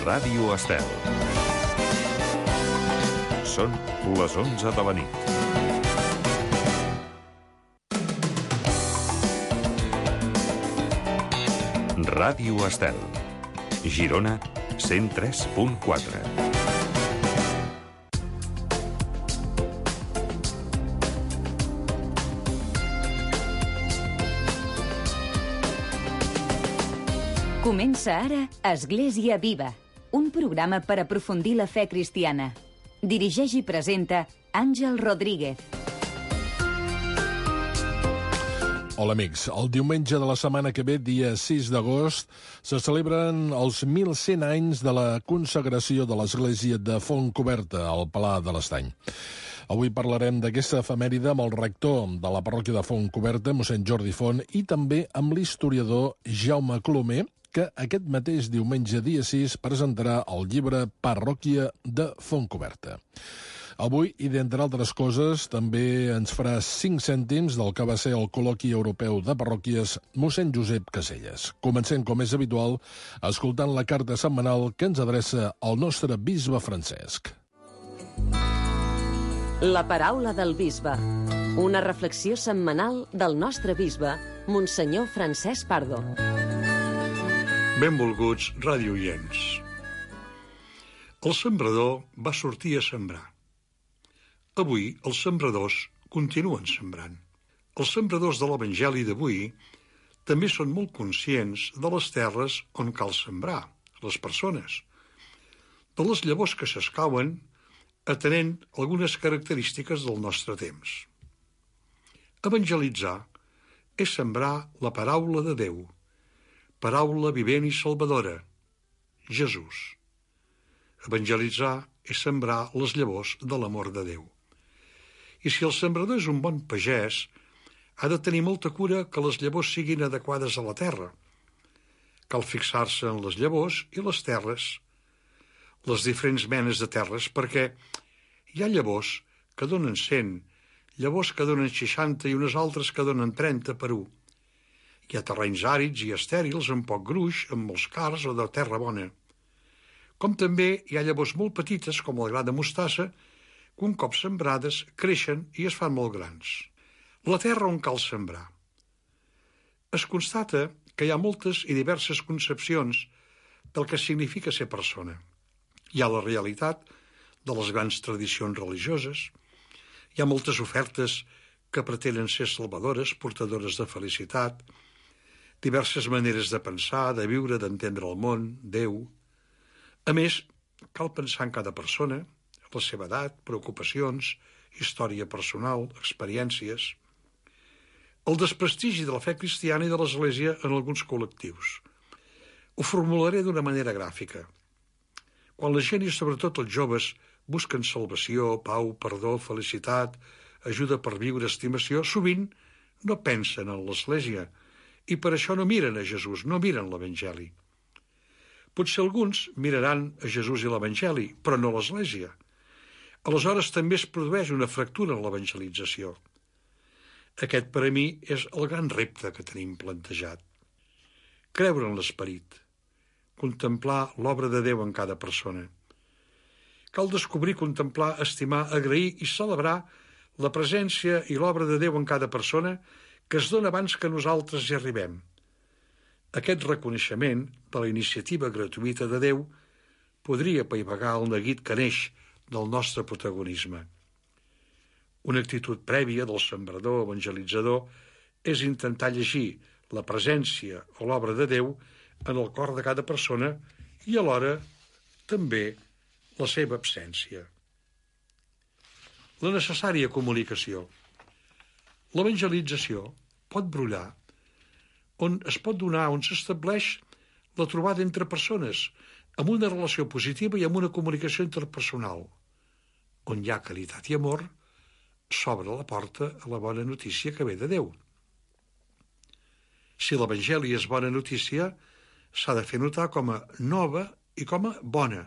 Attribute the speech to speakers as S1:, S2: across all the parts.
S1: Ràdio Estel. Són les 11 de la nit. Ràdio Estel. Girona, 103.4.
S2: Comença ara Església Viva, un programa per aprofundir la fe cristiana. Dirigeix i presenta Àngel Rodríguez.
S3: Hola amics, el diumenge de la setmana que ve, dia 6 d'agost, se celebren els 1.100 anys de la consagració de l'església de Fontcoberta, al Pla de l'Estany. Avui parlarem d'aquesta efemèride amb el rector de la parròquia de Fontcoberta, mossèn Jordi Font, i també amb l'historiador Jaume Colomer, que aquest mateix diumenge dia 6 presentarà el llibre Parròquia de Fontcoberta. Avui, i d'entre altres coses, també ens farà 5 cèntims del que va ser el col·loqui europeu de parròquies mossèn Josep Caselles. Comencem, com és habitual, escoltant la carta setmanal que ens adreça el nostre bisbe Francesc.
S4: La paraula del bisbe. Una reflexió setmanal del nostre bisbe, Monsenyor Francesc Pardo.
S5: Benvolguts radiooients. El sembrador va sortir a sembrar. Avui els sembradors continuen sembrant. Els sembradors de l'Evangeli d'avui també són molt conscients de les terres on cal sembrar, les persones, de les llavors que s'escauen atenent algunes característiques del nostre temps. Evangelitzar és sembrar la paraula de Déu, paraula vivent i salvadora, Jesús. Evangelitzar és sembrar les llavors de l'amor de Déu. I si el sembrador és un bon pagès, ha de tenir molta cura que les llavors siguin adequades a la terra. Cal fixar-se en les llavors i les terres, les diferents menes de terres, perquè hi ha llavors que donen 100, llavors que donen 60 i unes altres que donen 30 per 1. Hi ha terrenys àrids i estèrils amb poc gruix, amb molts cards o de terra bona. Com també hi ha llavors molt petites, com el gra de mostassa, que un cop sembrades creixen i es fan molt grans. La terra on cal sembrar. Es constata que hi ha moltes i diverses concepcions del que significa ser persona. Hi ha la realitat de les grans tradicions religioses, hi ha moltes ofertes que pretenen ser salvadores, portadores de felicitat, diverses maneres de pensar, de viure, d'entendre el món, Déu. A més, cal pensar en cada persona, la seva edat, preocupacions, història personal, experiències. El desprestigi de la fe cristiana i de l'Església en alguns col·lectius. Ho formularé d'una manera gràfica. Quan la gent i sobretot els joves busquen salvació, pau, perdó, felicitat, ajuda per viure, estimació, sovint no pensen en l'Església i per això no miren a Jesús, no miren l'Evangeli. Potser alguns miraran a Jesús i l'Evangeli, però no l'Església. Aleshores també es produeix una fractura en l'evangelització. Aquest per a mi és el gran repte que tenim plantejat. Creure en l'esperit, contemplar l'obra de Déu en cada persona. Cal descobrir, contemplar, estimar, agrair i celebrar la presència i l'obra de Déu en cada persona que es dona abans que nosaltres hi arribem. Aquest reconeixement de la iniciativa gratuïta de Déu podria apaivagar el neguit que neix del nostre protagonisme. Una actitud prèvia del sembrador evangelitzador és intentar llegir la presència o l'obra de Déu en el cor de cada persona i alhora també la seva absència. La necessària comunicació. L'evangelització pot brollar on es pot donar, on s'estableix la trobada entre persones, amb una relació positiva i amb una comunicació interpersonal. On hi ha caritat i amor, s'obre la porta a la bona notícia que ve de Déu. Si l'Evangeli és bona notícia, s'ha de fer notar com a nova i com a bona,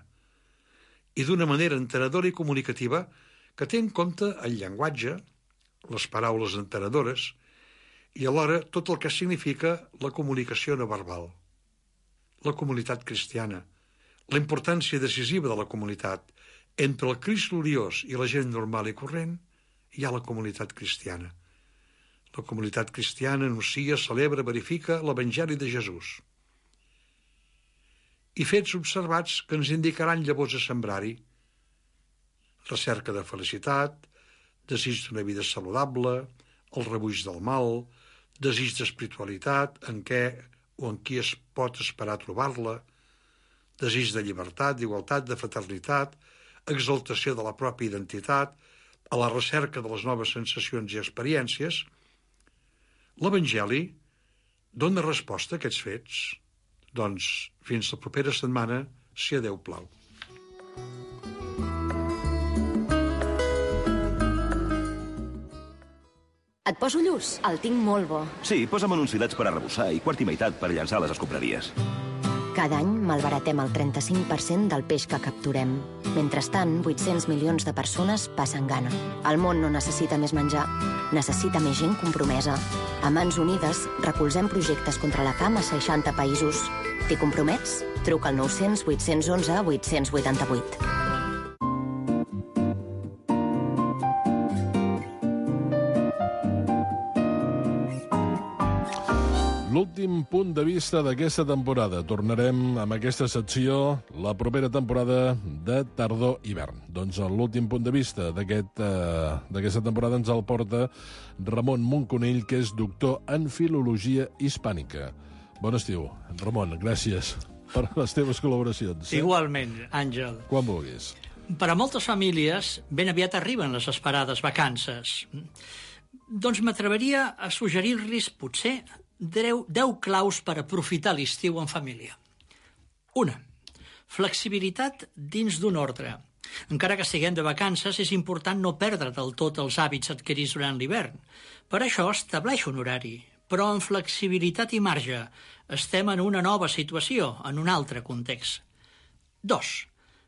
S5: i d'una manera entenedora i comunicativa que té en compte el llenguatge, les paraules entenedores, i alhora tot el que significa la comunicació no verbal. la comunitat cristiana, la importància decisiva de la comunitat. Entre el Crist gloriós i la gent normal i corrent hi ha la comunitat cristiana. La comunitat cristiana anuncia, celebra, verifica l'Evangeli de Jesús. I fets observats que ens indicaran llavors a sembrar-hi. Recerca de felicitat, desig d'una vida saludable, el rebuig del mal, desig d'espiritualitat, en què o en qui es pot esperar trobar-la, desig de llibertat, d'igualtat, de fraternitat, exaltació de la pròpia identitat, a la recerca de les noves sensacions i experiències. L'Evangeli dona resposta a aquests fets. Doncs fins la propera setmana, si a Déu plau.
S6: Et poso lluç? El tinc molt bo.
S7: Sí, posa'm uns filets per arrebossar i quart i meitat per llançar a les escombraries.
S6: Cada any malbaratem el 35% del peix que capturem. Mentrestant, 800 milions de persones passen gana. El món no necessita més menjar, necessita més gent compromesa. A Mans Unides recolzem projectes contra la fam a 60 països. T'hi compromets? Truca al 900 811 888.
S3: L'últim punt de vista d'aquesta temporada. Tornarem amb aquesta secció la propera temporada de tardor-hivern. Doncs l'últim punt de vista d'aquesta temporada ens el porta Ramon Monconill, que és doctor en Filologia Hispànica. Bon estiu, Ramon, gràcies per les teves col·laboracions.
S8: Igualment, Àngel.
S3: Quan vulguis.
S8: Per a moltes famílies, ben aviat arriben les esperades vacances. Doncs m'atreviria a suggerir-los, potser, 10 claus per aprofitar l'estiu en família. 1. Flexibilitat dins d'un ordre. Encara que estiguem de vacances, és important no perdre del tot els hàbits adquirits durant l'hivern. Per això estableix un horari, però amb flexibilitat i marge. Estem en una nova situació, en un altre context. 2.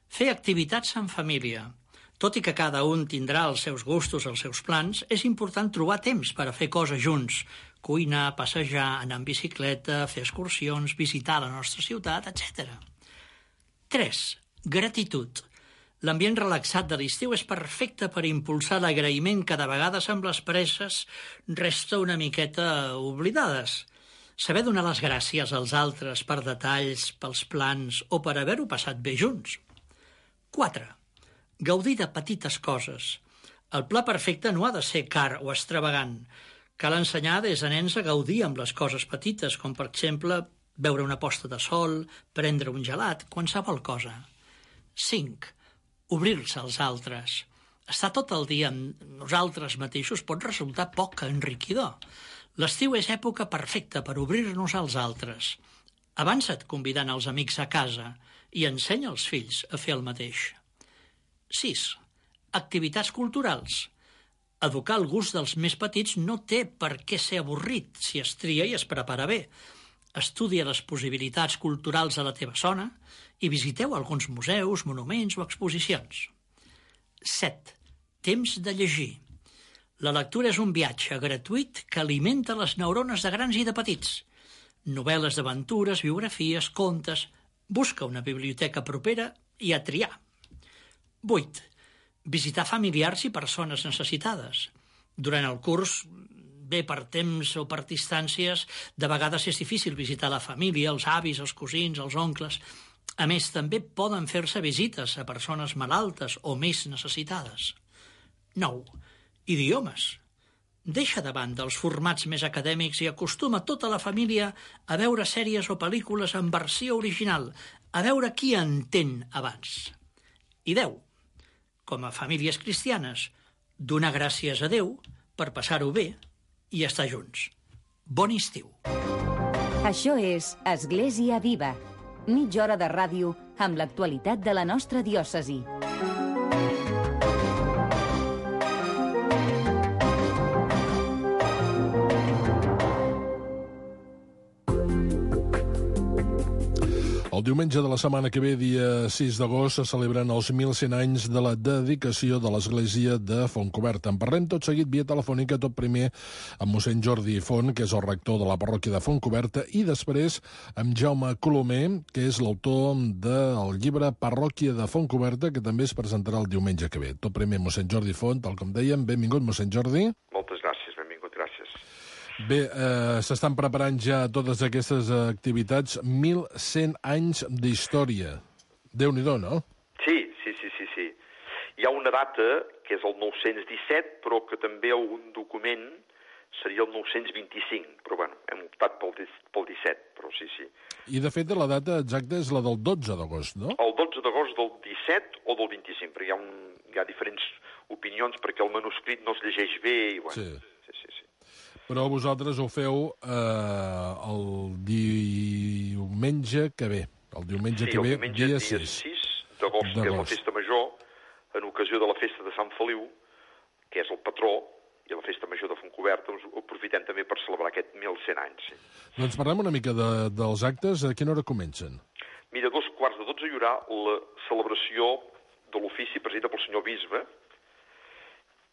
S8: Fer activitats en família. Tot i que cada un tindrà els seus gustos, els seus plans, és important trobar temps per a fer coses junts. Cuinar, passejar, anar en bicicleta, fer excursions, visitar la nostra ciutat, etc. 3. Gratitud. L'ambient relaxat de l'estiu és perfecte per impulsar l'agraïment que de vegades amb les presses resta una miqueta oblidades. Saber donar les gràcies als altres per detalls, pels plans o per haver-ho passat bé junts. 4. Gaudir de petites coses. El pla perfecte no ha de ser car o extravagant. Cal ensenyar des de nens a gaudir amb les coses petites, com per exemple veure una posta de sol, prendre un gelat, qualsevol cosa. 5. Obrir-se als altres. Estar tot el dia amb nosaltres mateixos pot resultar poc enriquidor. L'estiu és època perfecta per obrir-nos als altres. Avança't convidant els amics a casa i ensenya als fills a fer el mateix. 6. Activitats culturals. Educar el gust dels més petits no té per què ser avorrit si es tria i es prepara bé. Estudia les possibilitats culturals a la teva zona i visiteu alguns museus, monuments o exposicions. 7. Temps de llegir. La lectura és un viatge gratuït que alimenta les neurones de grans i de petits. Novel·les d'aventures, biografies, contes... Busca una biblioteca propera i a triar. 8. Visitar familiars i persones necessitades. Durant el curs, bé per temps o per distàncies, de vegades és difícil visitar la família, els avis, els cosins, els oncles. A més, també poden fer-se visites a persones malaltes o més necessitades. 9. Idiomes. Deixa de banda els formats més acadèmics i acostuma tota la família a veure sèries o pel·lícules en versió original, a veure qui entén abans. I 10. Com a famílies cristianes, donar gràcies a Déu per passar-ho bé i estar junts. Bon estiu.
S2: Això és Església Viva. Mitja hora de ràdio amb l'actualitat de la nostra diòcesi.
S3: El diumenge de la setmana que ve, dia 6 d'agost, se celebren els 1.100 anys de la dedicació de l'església de Fontcoberta. En parlem tot seguit via telefònica, tot primer amb mossèn Jordi Font, que és el rector de la parròquia de Fontcoberta, i després amb Jaume Colomer, que és l'autor del llibre Parròquia de Fontcoberta, que també es presentarà el diumenge que ve. Tot primer, mossèn Jordi Font, tal com dèiem. Benvingut, mossèn Jordi.
S9: Moltes gràcies, benvingut, gràcies.
S3: Bé, s'estan preparant ja totes aquestes activitats. 1.100 anys d'història. Déu-n'hi-do, no?
S9: Sí. Hi ha una data, que és el 917, però que també algun document seria el 925. Però, bueno, hem optat pel 17, però sí.
S3: I, de fet, la data exacta és la del 12 d'agost, no?
S9: El 12 d'agost del 17 o del 25, perquè hi ha diferents opinions, perquè el manuscrit no es llegeix bé i, bueno...
S3: Sí. Però vosaltres ho feu el diumenge que ve. El diumenge que ve, dia 6.
S9: Sí, el diumenge dia 6 d'agost, que és la festa major, en ocasió de la festa de Sant Feliu, que és el patró, i la festa major de Fontcoberta, ho aprofitem també per celebrar aquest 1.100 anys. Sí.
S3: Doncs parlem una mica dels actes. A quina hora comencen?
S9: Mira, 11:45 hi haurà la celebració de l'ofici presidida pel senyor bisbe,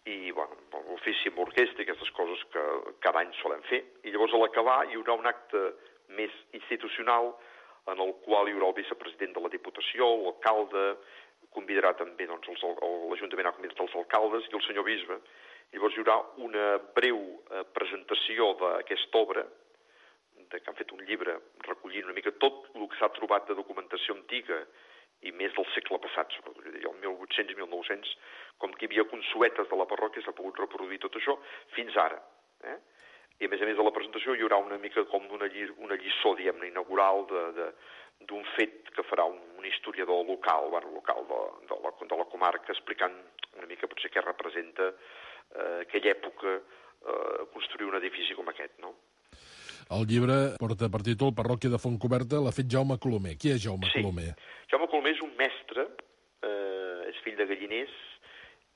S9: i, bueno, l'ofici amb orquestra i aquestes coses que cada any solem fer. I llavors, a l'acabar, hi haurà un acte més institucional en el qual hi haurà el vicepresident de la Diputació, l'alcalde, convidarà també, doncs, l'Ajuntament ha convidat els alcaldes i el senyor bisbe. Llavors hi haurà una breu presentació d'aquesta obra, que han fet un llibre recollint una mica tot el que s'ha trobat de documentació antiga i més del segle passat, sobretot, el 1800 i 1900, com que hi havia consuetes de la parròquia, s'ha pogut reproduir tot això fins ara. I a més de la presentació hi haurà una mica com una lliçó, diguem-ne, inaugural d'un fet que farà un historiador local, de la comarca, explicant una mica potser què representa aquella època construir un edifici com aquest, no?
S3: El llibre porta per títol Parròquia de Fontcoberta, l'ha fet Jaume Colomer. Qui és Jaume Colomer?
S9: Jaume Colomer és un mestre, és fill de galliners.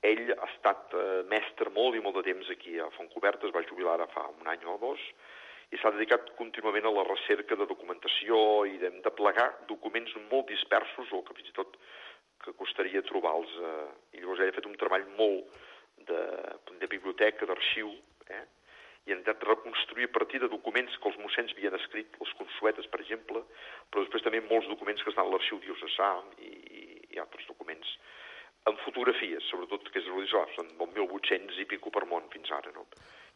S9: Ell ha estat mestre molt i molt de temps aquí a Fontcoberta, es va jubilar ara fa un any o dos, i s'ha dedicat contínuament a la recerca de documentació i de plegar documents molt dispersos, o que fins i tot que costaria trobar-los. I llavors ell ha fet un treball molt de biblioteca, d'arxiu, i han intentat reconstruir a partir de documents que els mossens havien escrit, les consuetes, per exemple, però després també molts documents que estan a l'arxiu diocesà i altres documents, amb fotografies, sobretot, que és són 1.800 i pico per món fins ara, no?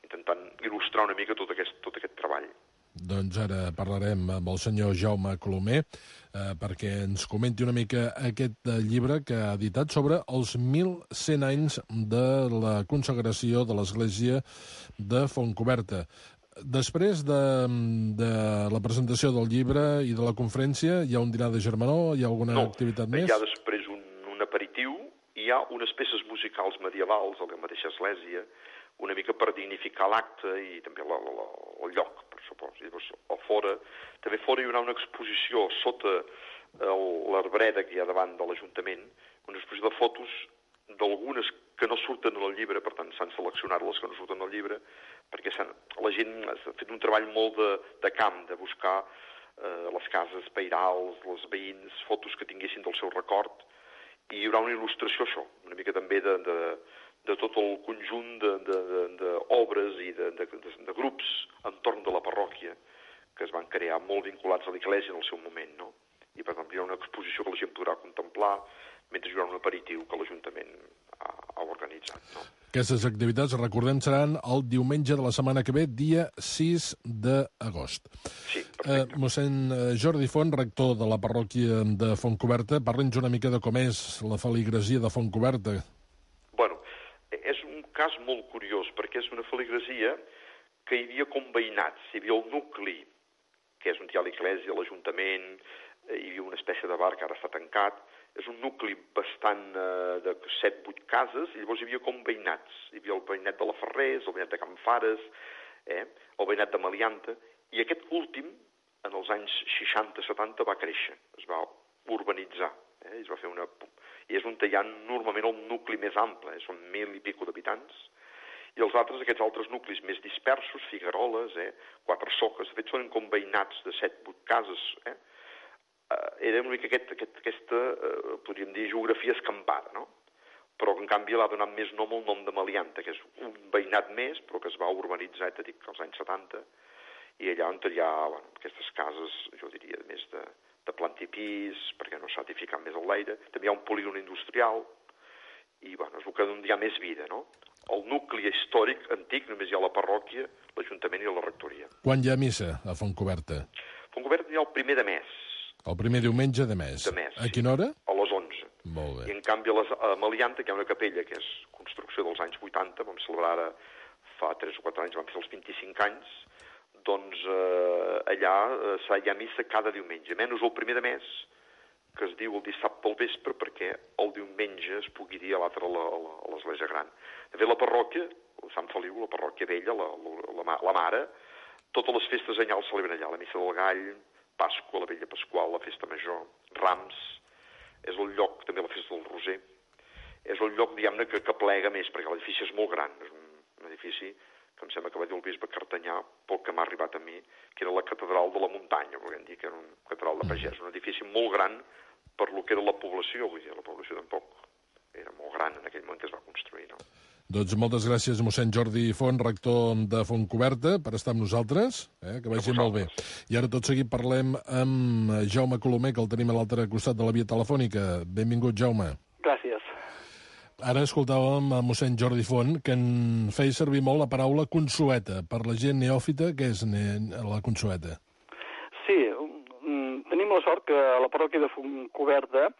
S9: Intentant il·lustrar una mica tot aquest treball.
S3: Doncs ara parlarem amb el senyor Jaume Colomer perquè ens comenti una mica aquest llibre que ha editat sobre els 1.100 anys de la consagració de l'església de Fontcoberta. Després de la presentació del llibre i de la conferència, hi ha un dinar de germanor? Hi ha alguna activitat més?
S9: Hi ha després un aperitiu, i hi ha unes peces musicals medievals a la mateixa església, una mica per dignificar l'acte i també el lloc, per supòs. I llavors, també fora hi haurà una exposició sota l'arbreda que hi ha davant de l'Ajuntament, una exposició de fotos d'algunes que no surten en el llibre, per tant s'han seleccionat les que no surten en el llibre, perquè la gent ha fet un treball molt de camp, de buscar les cases peirals, els veïns, fotos que tinguessin del seu record, i hi haurà una il·lustració, això, una mica també de tot el conjunt d'obres i de grups entorn de la parròquia que es van crear molt vinculats a l'església en el seu moment, no? I per tant hi ha una exposició que la gent podrà contemplar mentre hi haurà un aperitiu que l'Ajuntament ha organitzat, no?
S3: Aquestes activitats, recordem, seran el diumenge de la setmana que ve, dia 6 d'agost.
S9: Sí, perfecte.
S3: Mossèn Jordi Font, rector de la parròquia de Fontcoberta, parli'ns una mica de com és la feligresia de Fontcoberta.
S9: Bueno, és un cas molt curiós, perquè és una feligresia que hi havia com veïnats. Hi havia el nucli, que és on hi ha l'església, l'Ajuntament, hi havia una espècie de bar que ara està tancat. És un nucli bastant de 7-8 cases, i llavors hi havia com veïnats. Hi havia el veïnat de la Ferrers, el veïnat de Can Fares, el veïnat de Malianta, i aquest últim, en els anys 60-70, va créixer, es va urbanitzar, i es va fer i és on hi ha normalment el nucli més ample, són 1.000 i pico d'habitants, i aquests altres nuclis més dispersos, Figueroles, Quatre Soques, de fet són com veïnats de 7-8 cases, era una mica aquesta, podríem dir, geografia escampada, no? Però que en canvi l'ha donat més nom al nom de Melianta, que és un veïnat més, però que es va urbanitzar, t'he dit, als anys 70, i allà on hi ha aquestes cases, jo diria, més de planta i pis, perquè no s'ha edificat més l'aire. També hi ha un polígon industrial, i és el que hi ha més vida, no? El nucli històric antic només hi ha la parròquia, l'Ajuntament i la rectoria.
S3: Quan hi ha missa a Fontcoberta?
S9: A Fontcoberta hi ha el primer de mes.
S3: El primer diumenge de mes.
S9: De mes,
S3: A quina hora?
S9: A les 11.
S3: Molt bé.
S9: I en canvi a Melianta, que hi ha una capella que és construcció dels anys 80, vam celebrar ara fa 3 o 4 anys, vam fer els 25 anys, doncs allà hi ha missa cada diumenge, menys el primer de mes, que es diu el dissabte al vespre, perquè el diumenge es pugui dir a l'altre a l'església gran. De fet, la parròquia, Sant Feliu, la parròquia vella, la mare, totes les festes anyals es celebren allà, la missa del gall, Pasqua, la vella Pasqual, la festa major, Rams, és el lloc, també la festa del Roser, és el lloc, diguem-ne, que plega més, perquè l'edifici és molt gran, és un edifici que em sembla que va dir el bisbe Cartanyà, pel que m'ha arribat a mi, que era la catedral de la muntanya, podríem dir que era una catedral de pagès, un edifici molt gran per lo que era la població, vull dir, la població tampoc era molt gran en aquell moment que es va construir, no?
S3: Doncs moltes gràcies, mossèn Jordi Font, rector de Fontcoberta, per estar amb nosaltres, que vagi molt bé. I ara tot seguit parlem amb Jaume Colomer, que el tenim a l'altre costat de la via telefònica. Benvingut, Jaume.
S10: Gràcies.
S3: Ara escoltàvem a mossèn Jordi Font, que en feia servir molt la paraula consueta. Per la gent neòfita, què és la consueta?
S10: Sí, tenim la sort que la parròquia de Fontcoberta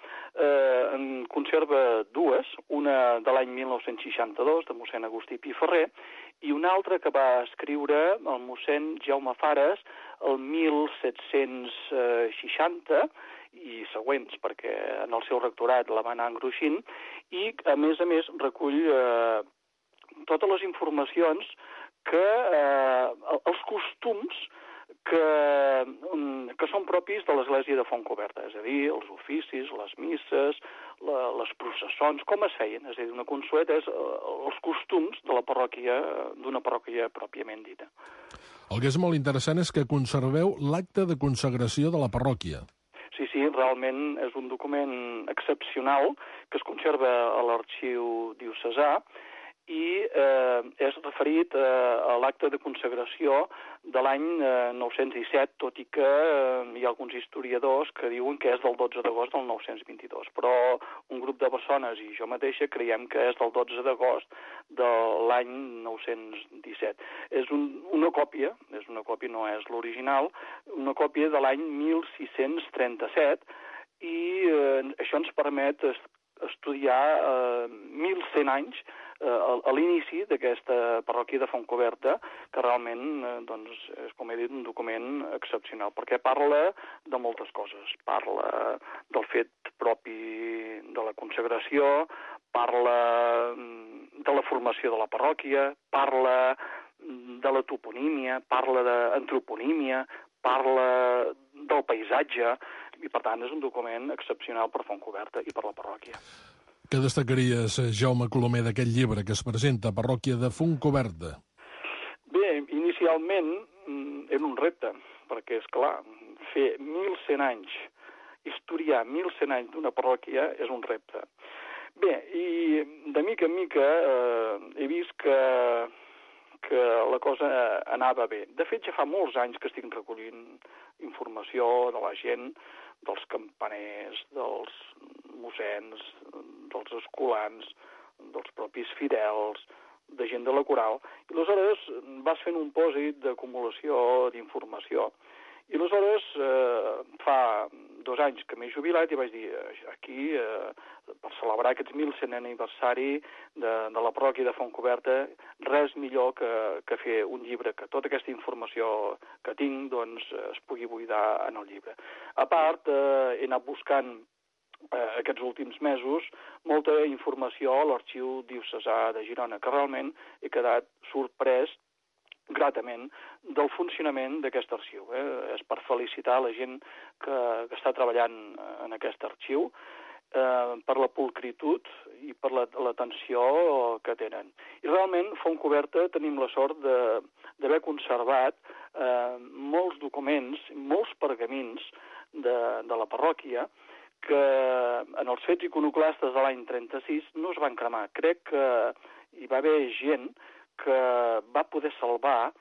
S10: en conserva dues, una de l'any 1962, de mossèn Agustí Piferrer, i una altra que va escriure el mossèn Jaume Fares el 1760 i següents, perquè en el seu rectorat la va anar engruixint, i a més recull totes les informacions que els costums que són propis de l'església de Fontcoberta, és a dir, els oficis, les misses, les processons, com es feien, és a dir, una consueta és els costums de la parròquia, d'una parròquia pròpiament dita.
S3: El que és molt interessant és que conserveu l'acte de consagració de la parròquia.
S10: Sí, realment és un document excepcional que es conserva a l'arxiu diocesà i és referit a l'acte de consagració de l'any 917, tot i que hi ha alguns historiadors que diuen que és del 12 d'agost del 922, però un grup de persones i jo mateixa creiem que és del 12 d'agost de l'any 917. És una còpia, no és l'original, una còpia de l'any 1637 i això ens permet estudiar 1.100 anys a l'inici d'aquesta parròquia de Fontcoberta, que realment és, com he dit, un document excepcional, perquè parla de moltes coses. Parla del fet propi de la consagració, parla de la formació de la parròquia, parla de la toponímia, parla d'antroponímia, parla del paisatge, i per tant és un document excepcional per Fontcoberta i per la parròquia.
S3: Què destacaries, Jaume Colomer, d'aquest llibre que es presenta a Parròquia de Fontcoberta?
S10: Bé, inicialment era un repte, perquè, és clar, fer 1.100 anys, historiar 1.100 anys d'una parròquia és un repte. Bé, i de mica en mica he vist que la cosa anava bé. De fet, ja fa molts anys que estic recollint informació de la gent, dels campaners, dels mossens, dels escolans, dels propis fidels, de gent de la coral, i aleshores vas fent un pòsit d'acumulació d'informació. I aleshores, fa 2 anys que m'he jubilat i vaig dir, aquí, per celebrar aquest 1.100è aniversari de la parròquia de Fontcoberta, res millor que fer un llibre, que tota aquesta informació que tinc doncs, es pugui buidar en el llibre. A part, he anat buscant aquests últims mesos molta informació a l'arxiu diocesà de Girona, que realment he quedat sorprès gratament del funcionament d'aquest arxiu. És per felicitar la gent que està treballant en aquest arxiu per la pulcritud i per l'atenció que tenen. I realment, Fontcoberta tenim la sort d'haver conservat molts documents, molts pergamins de la parròquia que en els fets iconoclastes de l'any 36 no es van cremar. Crec que hi va haver gent que va poder salvar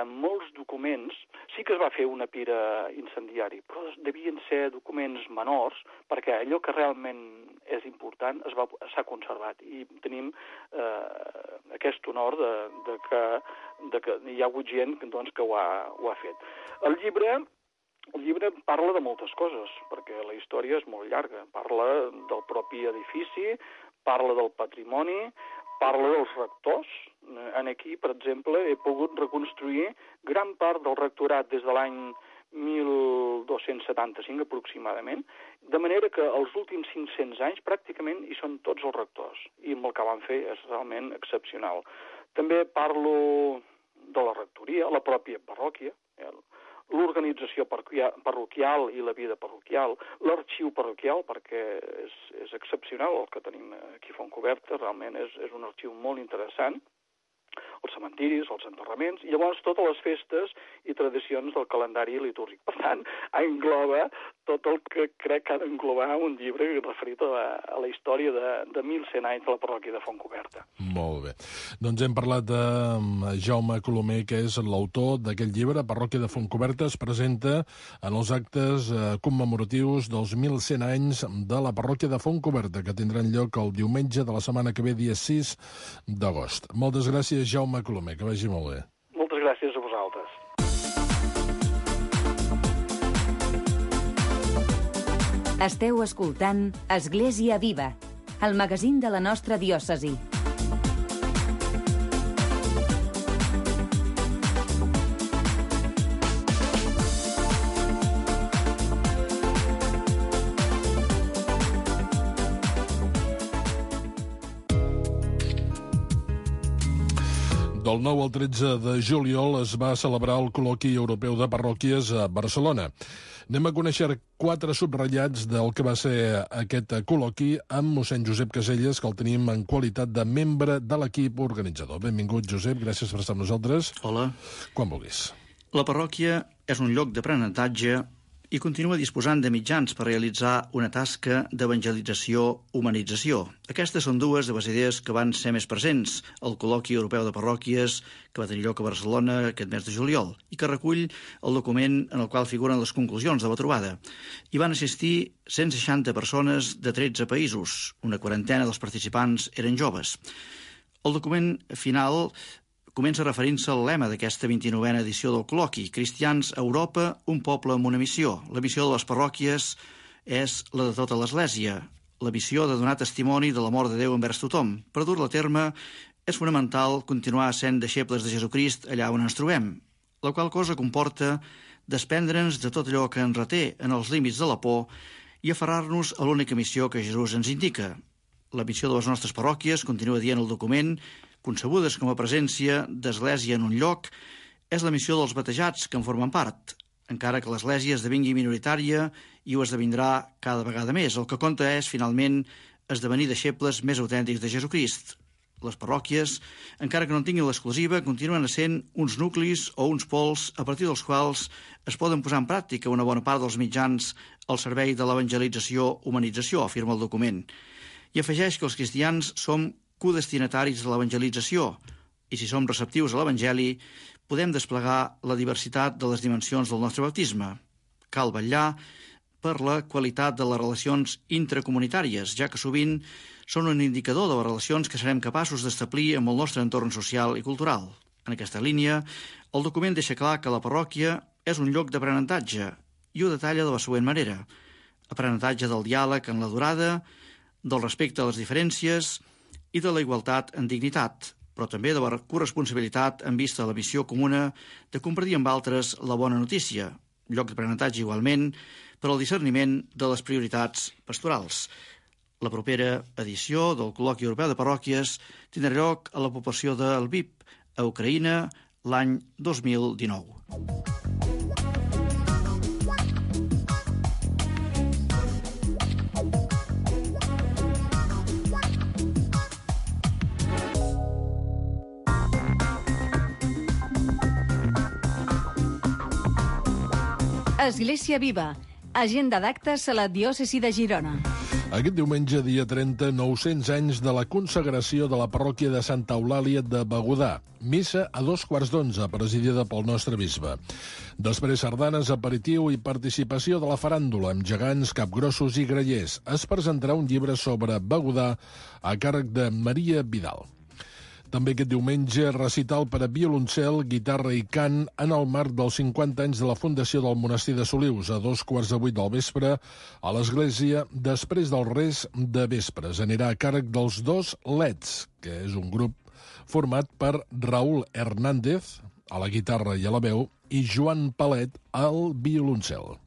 S10: molts documents. Sí que es va fer una pira incendiari, però devien ser documents menors, perquè allò que realment és important s'ha conservat. I tenim aquest honor de que hi ha hagut gent doncs, que ho ha fet. El llibre parla de moltes coses, perquè la història és molt llarga. Parla del propi edifici, parla del patrimoni, parla dels rectors. Aquí, per exemple, he pogut reconstruir gran part del rectorat des de l'any 1275 aproximadament, de manera que els últims 500 anys pràcticament hi són tots els rectors, i amb el que van fer és realment excepcional. També parlo de la rectoria, la pròpia parròquia, l'organització parroquial i la vida parroquial, l'arxiu parroquial, perquè és excepcional el que tenim aquí a Fontcoberta, realment és un arxiu molt interessant, els cementiris, els enterraments, i llavors totes les festes i tradicions del calendari litúrgic. Per tant, engloba tot el que crec que ha d'englobar un llibre referit a la història de 1.100 anys de la parròquia de Fontcoberta.
S3: Molt bé. Doncs hem parlat de Jaume Colomer, que és l'autor d'aquest llibre. Parròquia de Fontcoberta es presenta en els actes commemoratius dels 1.100 anys de la parròquia de Fontcoberta, que tindran lloc el diumenge de la setmana que ve, dia 6 d'agost. Moltes gràcies, Jaume Colomer, que vagi molt bé.
S10: Moltes gràcies a vosaltres.
S2: Esteu escoltant Església Viva, el magazín de la nostra diòcesi.
S3: Del 9 al 13 de juliol es va celebrar el col·loqui europeu de parròquies a Barcelona. Anem a conèixer 4 subratllats del que va ser aquest col·loqui amb mossèn Josep Caselles, que el tenim en qualitat de membre de l'equip organitzador. Benvingut, Josep, gràcies per estar amb nosaltres.
S11: Hola.
S3: Quan vulguis.
S11: La parròquia és un lloc d'aprenentatge i continua disposant de mitjans per realitzar una tasca d'evangelització-humanització. Aquestes són dues de les idees que van ser més presents al col·loqui europeu de parròquies que va tenir lloc a Barcelona aquest mes de juliol i que recull el document en el qual figuren les conclusions de la trobada. Hi van assistir 160 persones de 13 països, una quarantena dels participants eren joves. El document final comença referint-se al lema d'aquesta 29a edició del col·loqui: Cristians a Europa, un poble amb una missió. La missió de les parròquies és la de tota l'Església, la missió de donar testimoni de l'amor de Déu envers tothom. Per dur-la a terme, és fonamental continuar sent deixebles de Jesucrist allà on ens trobem, la qual cosa comporta desprendre'ns de tot allò que ens reté en els límits de la por i aferrar-nos a l'única missió que Jesús ens indica. La missió de les nostres parròquies, continua dient el document, concebudes com a presència d'Església en un lloc, és la missió dels batejats que en formen part, encara que l'Església esdevingui minoritària i ho esdevindrà cada vegada més. El que compta és, finalment, esdevenir deixebles més autèntics de Jesucrist. Les parròquies, encara que no tinguin l'exclusiva, continuen essent uns nuclis o uns pols a partir dels quals es poden posar en pràctica una bona part dels mitjans al servei de l'evangelització-humanització, afirma el document. I afegeix que els cristians som codestinataris de l'evangelització, i si som receptius a l'Evangeli, podem desplegar la diversitat de les dimensions del nostre baptisme. Cal vetllar per la qualitat de les relacions intracomunitàries, ja que sovint són un indicador de les relacions que serem capaços d'establir amb el nostre entorn social i cultural. En aquesta línia, el document deixa clar que la parròquia és un lloc d'aprenentatge i ho detalla de la següent manera: aprenentatge del diàleg en la durada, del respecte a les diferències i de la igualtat en dignitat, però també de la corresponsabilitat en vista de la missió comuna de compartir amb altres la bona notícia, lloc d'aprenentatge igualment per al discerniment de les prioritats pastorals. La propera edició del col·loqui europeu de parròquies tindrà lloc a la població de Lviv, a Ucraïna, l'any 2019.
S12: Església Viva, Agenda d'actes a la diòcesi de Girona.
S3: Aquest diumenge, dia 30, 900 anys de la consagració de la parròquia de Santa Eulàlia de Begudà. Missa a 2:15, presidida pel nostre bisbe. Després sardanes, aperitiu i participació de la faràndula amb gegants, capgrossos i grallers. Es presentarà un llibre sobre Begudà a càrrec de Maria Vidal. També aquest diumenge, recital per a violoncel, guitarra i cant en el marc dels 50 anys de la fundació del monestir de Solius, a 7:15 del vespre, a l'església, després del res de vespres. Anirà a càrrec dels Dos Leds, que és un grup format per Raúl Hernández, a la guitarra i a la veu, i Joan Palet, al violoncel.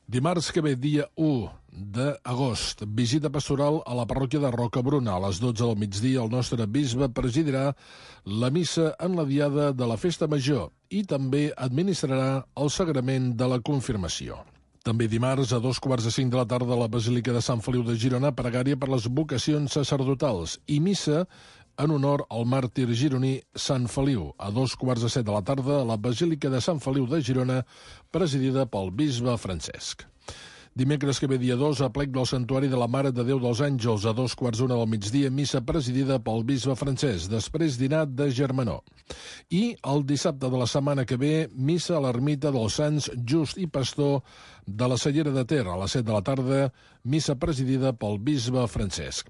S3: Dimarts que ve, dia 1 d'agost, visita pastoral a la parròquia de Rocabruna. A les 12 del migdia, el nostre bisbe presidirà la missa en la diada de la Festa Major i també administrarà el sagrament de la confirmació. També dimarts, a 2:45 de la tarda, a la Basílica de Sant Feliu de Girona, pregària per les vocacions sacerdotals i missa en honor al màrtir gironí Sant Feliu, a 2:15 de la tarda, a la Basílica de Sant Feliu de Girona, presidida pel bisbe Francesc. Dimecres que ve, dia 2, a plec del Santuari de la Mare de Déu dels Àngels, a 2:15 del migdia, missa presidida pel bisbe Francesc, després dinar de germanor. I el dissabte de la setmana que ve, missa a l'ermita dels Sants Just i Pastor de la Cellera de Ter, a les 7 de la tarda, missa presidida pel bisbe Francesc.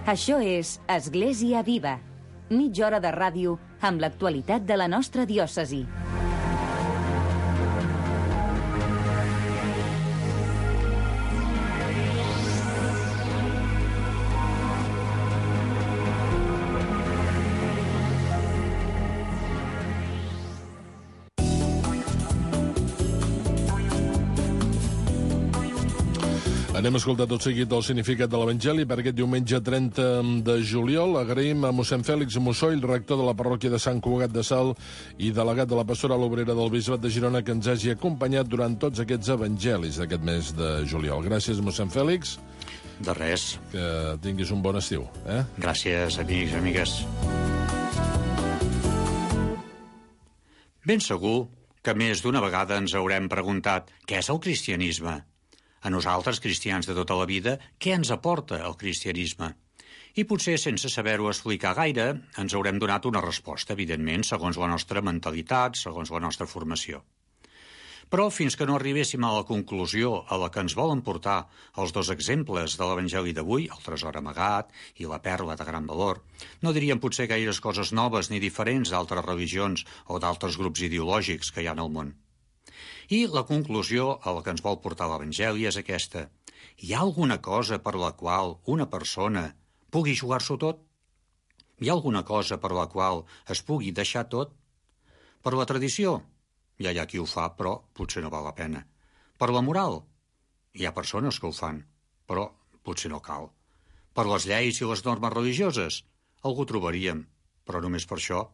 S2: Això és Església Viva. Mitja hora de ràdio amb l'actualitat de la nostra diòcesi.
S3: Anem a escoltar tot seguit el significat de l'Evangeli per aquest diumenge 30 de juliol. Agraïm a mossèn Fèlix Mussoll, rector de la parròquia de Sant Cugat de Salt i delegat de la pastoral obrera del Bisbat de Girona, que ens hagi acompanyat durant tots aquests evangelis d'aquest mes de juliol. Gràcies, mossèn Fèlix.
S13: De res.
S3: Que tinguis un bon estiu.
S13: Gràcies, amics i amigues. Ben segur que més d'una vegada ens haurem preguntat què és el cristianisme. A nosaltres, cristians de tota la vida, què ens aporta el cristianisme? I potser, sense saber-ho explicar gaire, ens haurem donat una resposta, evidentment, segons la nostra mentalitat, segons la nostra formació. Però fins que no arribéssim a la conclusió a la que ens volen portar els dos exemples de l'Evangeli d'avui, el tresor amagat i la perla de gran valor, no diríem potser gaires coses noves ni diferents d'altres religions o d'altres grups ideològics que hi ha en el món. I la conclusió a la que ens vol portar l'Evangeli és aquesta. Hi ha alguna cosa per la qual una persona pugui jugar-s'ho tot? Hi ha alguna cosa per la qual es pugui deixar tot? Per la tradició? Ja hi ha qui ho fa, però potser no val la pena. Per la moral? Hi ha persones que ho fan, però potser no cal. Per les lleis i les normes religioses? Algú trobaríem, però només per això.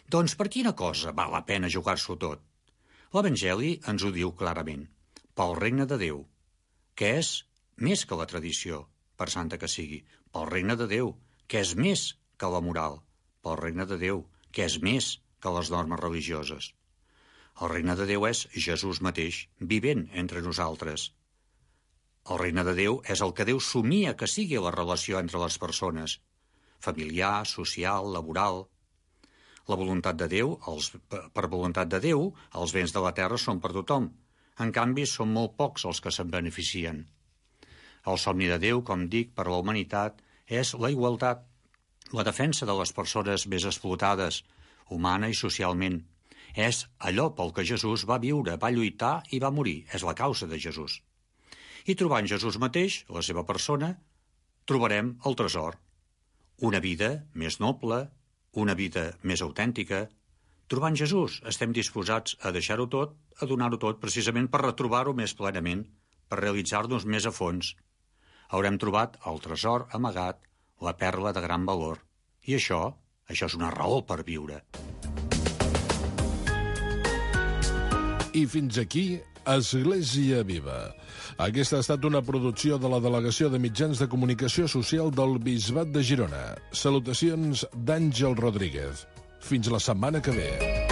S13: Doncs per quina cosa val la pena jugar-s'ho tot? L'Evangeli ens ho diu clarament. Pel regne de Déu, que és més que la tradició, per santa que sigui. Pel regne de Déu, que és més que la moral. Pel regne de Déu, que és més que les normes religioses. El regne de Déu és Jesús mateix, vivent entre nosaltres. El regne de Déu és el que Déu somia que sigui la relació entre les persones, familiar, social, laboral. La voluntat de Déu, per voluntat de Déu, els béns de la terra són per tothom. En canvi, són molt pocs els que se'n beneficien. El somni de Déu, com dic, per la humanitat, és la igualtat, la defensa de les persones més explotades, humana i socialment. És allò pel que Jesús va viure, va lluitar i va morir. És la causa de Jesús. I trobant Jesús mateix, la seva persona, trobarem el tresor. Una vida més noble, una vida més autèntica. Trobant Jesús, estem disposats a deixar-ho tot, a donar-ho tot, precisament per retrobar-ho més plenament, per realitzar-nos més a fons. Haurem trobat el tresor amagat, la perla de gran valor. I això és una raó per viure.
S3: I fins aquí Església Viva. Aquesta ha estat una producció de la Delegació de Mitjans de Comunicació Social del Bisbat de Girona. Salutacions d'Àngel Rodríguez. Fins la setmana que ve.